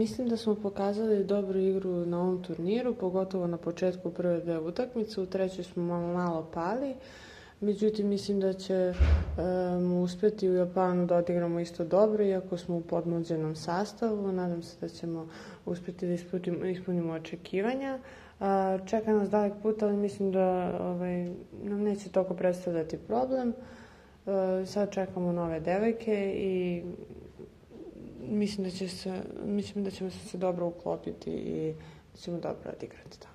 Mislim da smo pokazali dobru igru na ovom turniru, pogotovo na početku prve dve utakmice. U trećoj smo malo pali. Međutim, mislim da ćemo uspeti u Japanu da odigramo isto dobro, iako smo u podmlađenom sastavu. Nadam se da ćemo uspeti da ispunimo očekivanja. Čeka nas dalek put, ali mislim da nam neće toliko predstavljati problem. Sad čekamo nove devojke i mislim da ćemo se dobro uklopiti i da ćemo dobro odigrati.